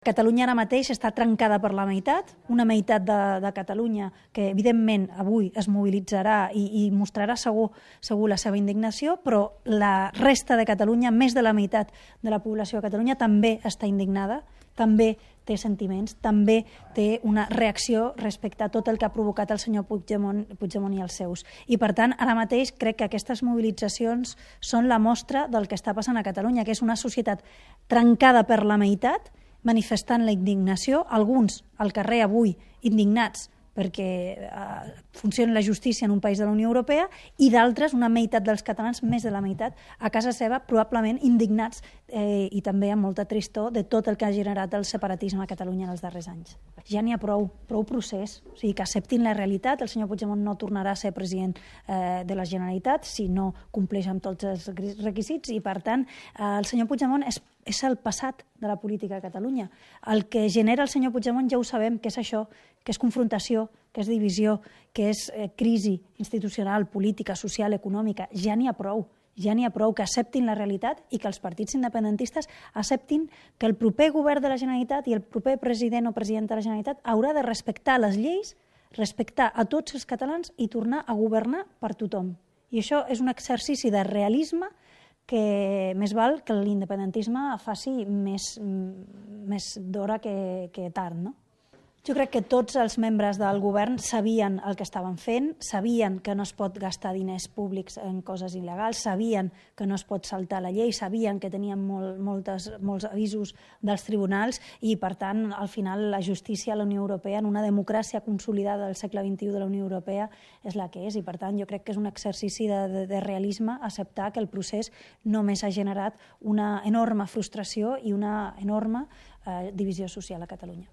Catalunya ara mateix està trencada per la meitat, una meitat de Catalunya que evidentment avui es mobilitzarà i mostrarà segur la seva indignació, però la resta de Catalunya, més de la meitat de la població de Catalunya també està indignada, també té sentiments, també té una reacció respecte a tot el que ha provocat el senyor Puigdemont i els seus. I per tant, ara mateix crec que aquestes mobilitzacions són la mostra del que està passant a Catalunya, que és una societat trencada per la meitat, manifestant la indignació, alguns al carrer avui indignats perquè funcioni la justícia en un país de la Unió Europea i d'altres, una meitat dels catalans, més de la meitat, a casa seva, probablement indignats i també amb molta tristor de tot el que ha generat el separatisme a Catalunya en els darrers anys. Ja n'hi ha prou procés, o sigui, que acceptin la realitat. El senyor Puigdemont no tornarà a ser president de la Generalitat si no compleix amb tots els requisits i, per tant, el senyor Puigdemont és el passat de la política a Catalunya. El que genera el senyor Puigdemont ja ho sabem, que és això, que és confrontació, que és divisió, que és crisi institucional, política, social, econòmica. Ja n'hi ha prou que acceptin la realitat i que els partits independentistes acceptin que el proper govern de la Generalitat i el proper president o presidenta de la Generalitat haurà de respectar les lleis, respectar a tots els catalans i tornar a governar per tothom. I això és un exercici de realisme que més val que l'independentisme faci més d'hora que tard, no? Jo crec que tots els membres del govern sabien el que estaven fent, sabien que no es pot gastar diners públics en coses il·legals, sabien que no es pot saltar la llei, sabien que tenien molts avisos dels tribunals i, per tant, al final la justícia a la Unió Europea, en una democràcia consolidada del segle XXI de la Unió Europea, és la que és. I, per tant, jo crec que és un exercici de realisme acceptar que el procés només ha generat una enorme frustració i una enorme divisió social a Catalunya.